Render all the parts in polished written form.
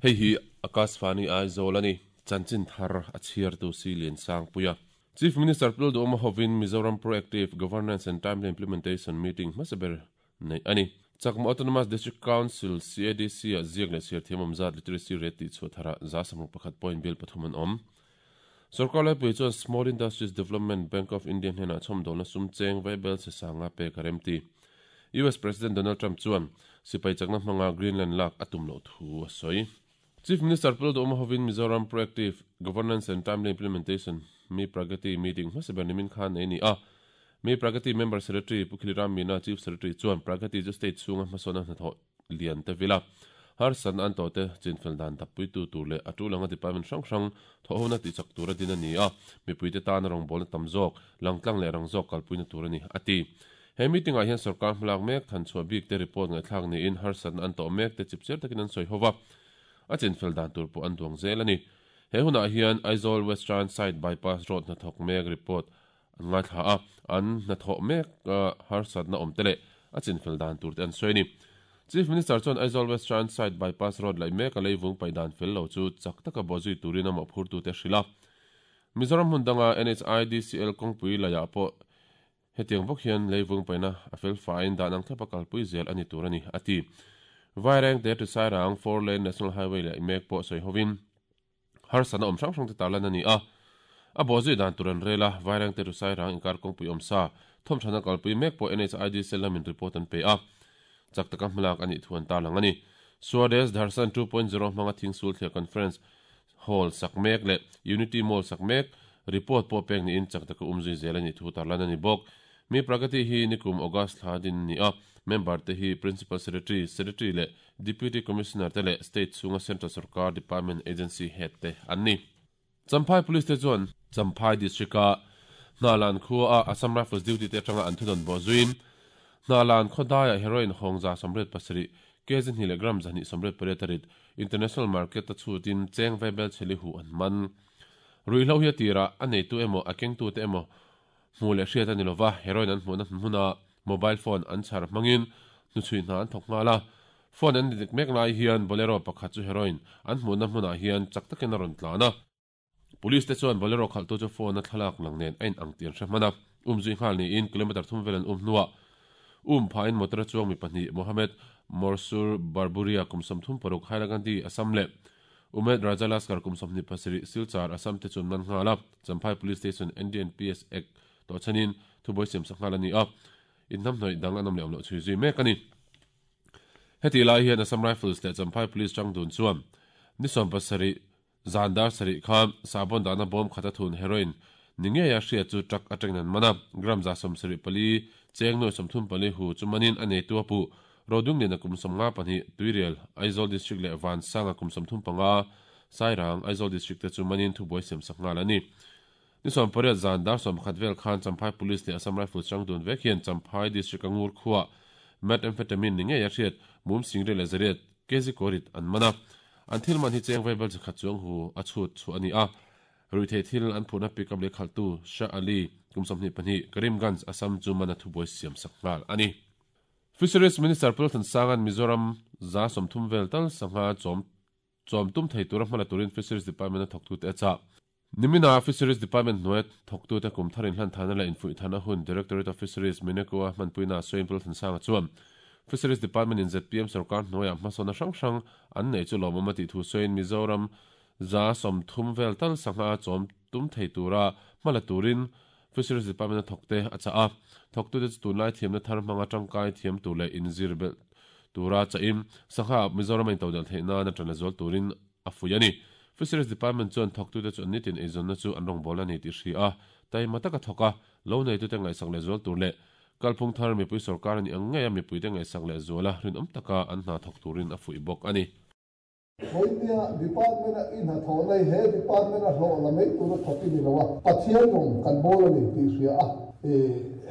Hei hi Akashvani Aizawl a ni. Chanchin thar a chhiartu si Liansangpuia. Chief Minister Pu Lalduhoma hovin Mizoram Proactive Governance and Timely Implementation Meeting hmasa ber neih a ni. Chakma Autonomous District Council, CADC, ah ziak leh chhiar thiam awm zat literacy rate tih chhuah tharah 61 point bill pathum an awm. Sorkar laipui chuan Small Industries Development Bank of India hnenah chhawmdawlna sum cheng vaibel chhe sanga pek a remti. US President Donald Trump chuan sipai chakna hmanga Greenland lak a tum loh thu a sawi. Chief Minister Pu Lalduhoma hovin Mizoram Proactive Governance and Timely Implementation, Mi Pragati, meeting hmasa ber nimin khan nei a ni a. Mi Pragati Member Secretary Pu Khiliram Meena Chief Secretary chuan Pragati chu state chhunga hmasawnna hnathawh lian te vil a, harsatna an tawhte chinfel dan dappuitu tur leh a tul anga department hrang hrang thawhhona tihchak tur a din a ni a, mipuite tana rawngbawlna tam zawk, langtlang leh rang zawk kalpuina tur a ni, a ti. He meeting ah hian sorkar hmalak mek thanchhuah bik te report ngaihthlak niin harsatna an tawh mek te chipchiar takin an sawi ho va, a chinfel dan tur pawh an duang zel a ni. He hunah hian Aizawl Western Side Bypass Road hnathawk mek report an ngaithla a, an hnathawh mek harsatna awm te leh a chinfel dan tur te an sawi a ni. Chief Minister chuan Aizawl Western Side Bypass Road laih mek a leivung paih dan fel lo chu chak taka bawhzui turin a mawhphurtute a hrilh a. Mizoram hmun danga NHIDCL kawngpui laiah pawh Hetiang bawk hian leivung paihna a fel faiin dan ang thlapa kalpui zel a ni tur a ni, a ti. Vairengte to Sairang Four Lane National Highway leh mek pawh sawi hovin harsatna awm hrang hrangte tarlan a ni a. A bawhzui dan tur an rel a, Vairengte to Sairang inkar kawngpui awm sa thawmthana kalpui mek pawh NHID cell lamin report an pe a, chak taka hmalak a nih thu an tarlang a ni. Swadesh Darshan 2.0 hmanga Thingsul Thliah Conference Hall sak mek leh Unity Mall sak mek report pawh pek niin chak taka um zui zel a nih thu tarlan a ni bawk. Mi Pragati hi nikum August thla din a ni a, member te hi Principal Secretary, Secretary leh Deputy Commissioner te leh State chhunga Central Sorkar Department Agency Head te an ni. Champhai Police te chuan Champhai District-a Hnalan khua a Assam Rifles duty te atanga an thudawn bawh zuiin Hnalan khaw daiah heroin hawng 77 kg hnih leh gram 288 a rit International market a chhutin cheng vaibel chheli huh an man. Ruihhlo hi a tirah a neitu emaw a kengtute emaw hmuh leh hriat a ni lova, heroin an hmuhna hmunah mobile phone an chhar hmangin hnuchhui hna an thawk nghal a. Phone an dik mek lai hian Bolero pakhat chu heroin an hmuhna hmunah hian chak takin a rawn tlan a. Police te chuan Bolero khalhtu chu phone a thlalak lang nen a in ang tih an hre hman a, um zui nghal niin kilometre thum vel an um hnuah um phahin motor a chuang mi pahnih Mohammed Morsur Barburia kum 36 Hailakandi, Assam leh Umed Raja Laskar kum 27 Silchar, Assam te chu an man nghal a, Champhai Police Station NDNPS Act tawh chhanin thubuai siamsak nghal a ni a, inhnamhnawih dang an awm leh awm loh chhui zui mek a ni. Hetih lai hian Assam Rifles leh Champhai Police tangdun chuan ni 17 Zan dar sarih khan sahbawn dahna bawm khat a thun heroin ni ngeia hriat chu truck atangin an man a, gram 74 cheng nuai 34 hu chu manin a neitu a puh. Rodungliana kum 52, Tuirial, Aizawl District leh Vansanga kum 35, Sairang, Aizawl District te chu manin thubuai siamsak nghal a ni. Ni 18 zan dar 11 vel khan Champhai Police leh Assam Rifles chang dun vek hian Champhai District a ngur khuaa Methamphetamine ni ngeia hriat mum singriat leh zariat kg kawrit an man a. An thil man hi cheng vaibel chikhat chuang hu a chhut chhuah a ni a. Ruihtheih thil an phurhna pickup leh khalhtu Shah Ali, kum 22, Karimganj, Assam chu man a thubuai siam sak nghal a ni. Fisheries Minister Pu Lalthansanga'n Mizoram 30 vel tal sangha chawm chawm tum thei tura hmala turin Fisheries Department a thawktute a chah. Nimina Fisheries Department hnuaia thawktute kum thar inhlan thana leh infuih thana hun Directorate of Fisheries Mineko-a hmanpuina sawiin Pu Lalthansanga chuan Fisheries Department in zpm sorkar hnuaiah hmasawnna hrang hrang an neih chu lawmawm a tih thu sawiin Mizoram 30 vel tal sangha chawm tum thei tura hmala turin Fisheries Department a thawkte a chah a. Thawktute chu tunlai thiamna thar hmanga tangkai thiam tur leh inzir belh tura chahin sangha Mizoram a intodelh theih nan a tan la zual turin a fuih a ni. Fisheries Department chuan thawktute chu an nitin eizawnna chu an rawngbâwl a ni tih hria a, taima taka thawk a, lo neitute ngaihsak leh zual tur leh kalphung thar mipui sorkar a nih ang ngeia mipuite ngaihsak leh zuala rinawm taka an hna thawk turin a fuih bawk a ni. Vawinia Department a i hnathawh na hi he Department a hlawh la mai tura thawk i ni lo a, Pathian rawng kan bawl a ni tih hria a, i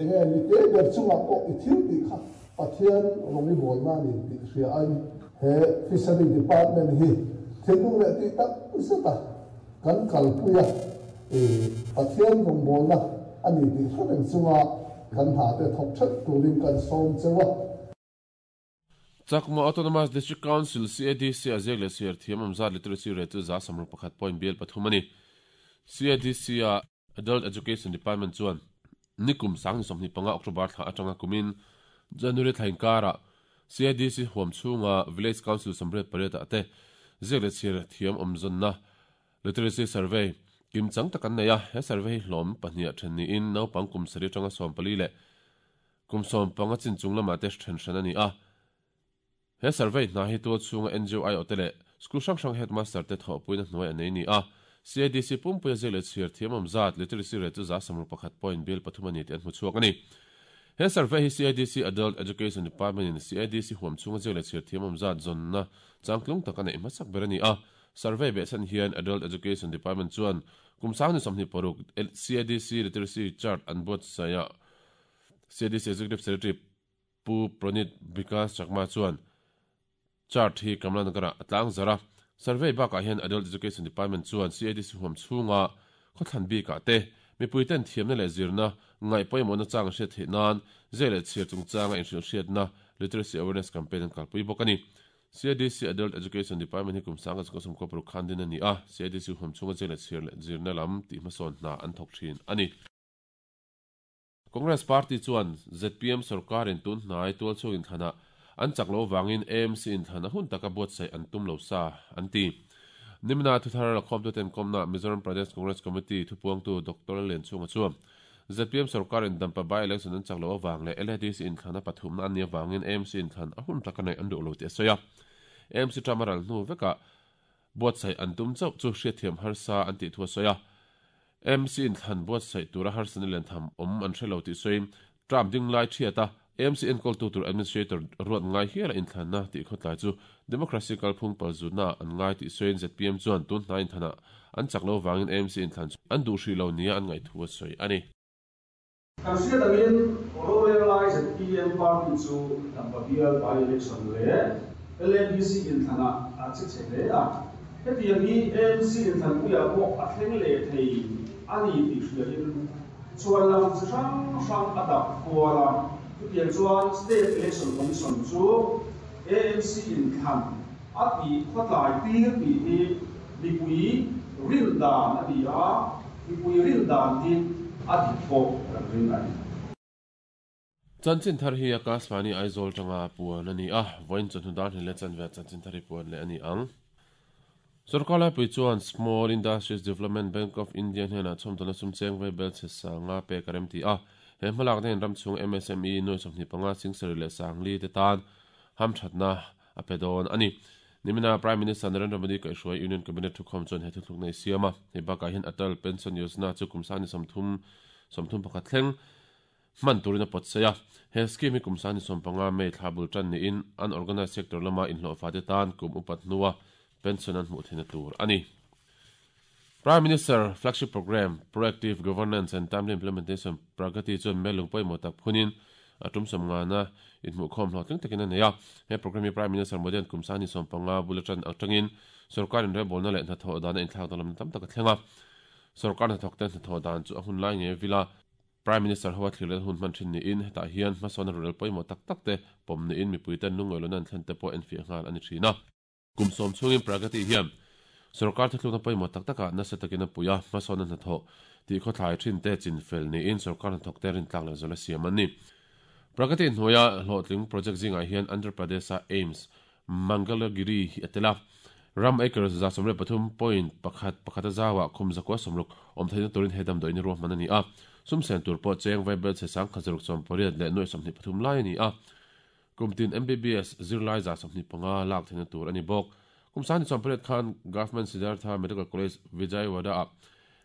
enge mi te ber chungah pawh i thil tih kha Pathian rawng i bawlna a ni tih hria a in he Fishery Department hi thinlung leh tih tak zet a kan kalpui a, i Pathian rawng bawlna a ni tih hre reng chunga kan hna te thawk ṭhelh turin kan sawm cheu a. Chakma Autonomous District Council, CADC, a ziak leh chhiar thiam awm zat literacy rate chu 61% point bial pathum a ni. CADC a Adult Education Department chuan nikum 2025 October thla atanga kumin January thla inkarah CADC huam chhunga Village Council 88 ah te ziak leh chhiar thiam awm zawnna Literacy Survey kimchang tak an nei a, he survey hi hlawm pahniha then niin naupang kum sarih atanga 14 leh kum 15 chin chung lamah te then hran a ni a. He survey hna hi tual chhunga NGO aiawh te leh school hrang hrang headmaster te thawhpuina hnuai a nei ni a. CADC pumpuia ziak leh chhiar thiam awm zat literacy rate chu 61% point bial pathum a ni tih an hmu chhuak a ni. He survey hi CADC Adult Education Department in CADC huam chhunga ziak leh chhiar thiam awm zat zawnna changtlung tak a neih hmasak ber a ni a. Survey behchhan hian Adult Education Department chuan kum 2026 CADC Literacy Chart an buatsaih a. CADC Executive Secretary Pu Pranit Vikas Chakma chuan chart hi Kamlanagar-ah a tlang zar a. Survey bakah hian Adult Education Department chuan CADC huam chhunga khawthlan bikah te mipuiten thiamna leh zirna ngaih pawimawhna chang an hriat theih nan ziak leh chhiar chungchanga inhrilhhriatna Literacy Awareness Campaign an kalpui bawk a ni. CADC Adult Education Department hi kum 1996 khan din a ni a, CADC huam chhunga ziak leh chhiar leh zirna lam tihhmasawn hna an thawk thin a ni. Congress Party chuan zpm sorkarin tun hnai tualchhung inthlanah an chak loh avangin AMC inthlan a hun taka buatsaih an tum lo sa, an ti. Nimina thuthar lakhawmtuten kawmna Mizoram Pradesh Congress Committee thupuangtu Doctor Lallianchhunga chuan zpm sorkarin Dampa by-election an chak loh avang leh LADC inthlan a pathumna an nih avangin AMC inthlan a hun taka neih an duh lo tih a sawi a. AMC term a ral hnu vekah buatsaih an tum chauh chu hriatthiam harsa an tih thu a sawi a. AMC inthlan buatsaih tura harsatna lian tham awm an hre lo tih sawiin term ding lai thiat a, AMC enkawltu tur administrator ruat ngai hiala inthlanna tih khawtlai chu democracy kalphung palzutnaah an ngai tih sawiin zpm chuan tun hnai inthlanah an chak lo vangin AMC inthlan chu an duh hrih lo nia an ngaih thu a sawi a ni. Kan hriat angin rorel lai zpm party chu Dampa bial by-election leh LADC inthlanah a che chhe hle a. Hetiang hi AMC inthlanpuiah pawh a thleng leh thei a ni tih hriain chhuan lam chi hrang hrang a dap kual a. Chutiang chuan State Election Commission chu AMC inthlan a tih khawtlai tir tih hi mipui rin dan a ni a, mipui rin dan hi a dik pawh kan ring a ni. Chanchin thar hi Akashvani Aizawl tanga puan a ni a, vawiin chawhnu dar hnih leh chanve ah chanchin thar hi puan leh a ni ang. Sorkar laipui chuan Small Industries Development Bank of India hnenah chhawmdawlna sum cheng vai bel chhe sanga pek a remti a, he hmalakna hian ram chhung MSME nuai 25 sing sarih leh sangli te tan hamthatna a pe dawn a ni. Nimina Prime Minister Narendra Modi kaihhruai Union Cabinet thukhawm chuan he thuthlukna i siam a, hei bakah hian Atal Pension Yojana chu kum sangni 30 31 thleng hman turin a pawt saih a. He scheme hi kum sangni 15 May thla bul tan niin unorganised sector lama inhlawhfa te tan kum upat hnua pension an hmuh theihna tur a ni. Prime Minister Flagship Programme, Proactive Governance and Timely Implementation, Pragati chuan Melung pawimawh tak phunin a tum sawmngana inhmuhkhawm hlawhtling takin a nei a. He programme hi Prime Minister Modi-a'n kum sangni 15 bul atan atangin sorkar inrebawlna leh hnathawh dana inthlak danglamna tam tak a thleng a. Sorkar hnathawkte hnathawh dan chu a hun lai ngei vila Prime Minister hoa thlir hun hman thin niin hetah hian hmasawnna rurel pawimawh tak tak te pawm niin mipuiten lungngawihlawna an thlen te pawh enfiah nghal a ni thin a. Kum 10 chhungin Pragati hian sorkar thuthlukna pawimawh tak takah nasa takin a pui a, hmasawnna hnathawh tih khawthlai thin te chin fel niin sorkar hnathawk te rintlak leh zawlh a siam an ni. Pragati hnuaia hlawhtling project zingah hian Andhra Pradesh-a AIIMS Mangalagiri hi a tel a, ram acre 133.1 pakhat a zauah khum 160 awm theihna turin he damdawiin hi ruahman a ni a, sum sen tur pawh cheng vaibel chhe sang khat zaruk 18 leh nuai 23 lai a ni a. Kum tin MBBS zirlai 25 lak theihna tur a ni bawk. Kum 2008 khan Government Siddhartha Medical College Vijayawada-ah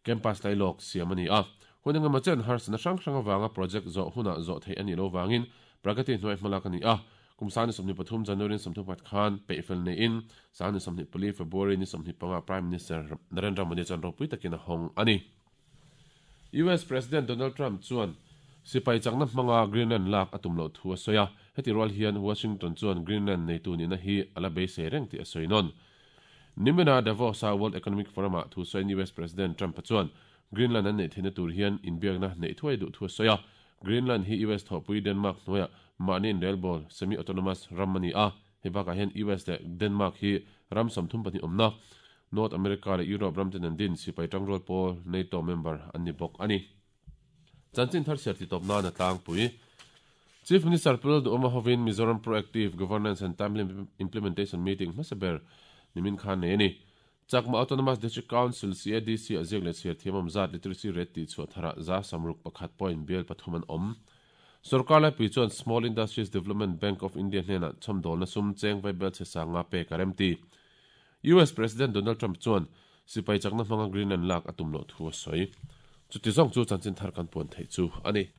campus lailawk siam a ni a. Hun engemaw chen harsatna hrang hrang avanga project zawh hunah zawh theih a nih loh vangin Pragati hnuai hmalak a ni a. Kum 2023 January ni 34 khan peihfel neiin 2024 February ni 25 Prime Minister Narendra Modi chuan ropui takin a hawng a ni. US President Donald Trump chuan sipai chakna hmanga Greenland lak a tum loh thu a sawi a, heti rual hian Washington chuan Greenland neitu nihna hi a la beisei reng tih a sawi nawn. Nimina Davos-a World Economic Forum-ah thu sawiin US President Trump-a chuan Greenland an neih theihna tur hian inbiakna neih thuai duh thu a sawi a, Greenland hi US thawhpui Denmark hnuaiah mahni inrelbawl, semi-autonomous, ram a ni a. Hei bakah hian US leh Denmark hi ram 32 awmna North America leh Europe ram ten an din sipai tangrual pawl NATO member an ni bawk a ni. Chanchin thar chhiar titawp nan a tlangpui. Chief Minister Pu Lalduhawma hovin Mizoram Proactive Governance and Timely Implementation Meeting hmasa ber nimin khan nei a ni. Chakma Autonomous District Council, CADC, a ziak leh chhiar thiam awm zat literacy rate tih chhuah tharah 60% point bial pathum an awm. Sorkar laipui chuan Small Industries Development Bank of India hnenah chhawmdawlna sum cheng vaibel chhe sanga pek a remti. US President Donald Trump chuan sipai chakna hmanga Greenland lak a tum loh thu a sawi. Chuti zawng chu chanchin thar kan puan theih chu a ni.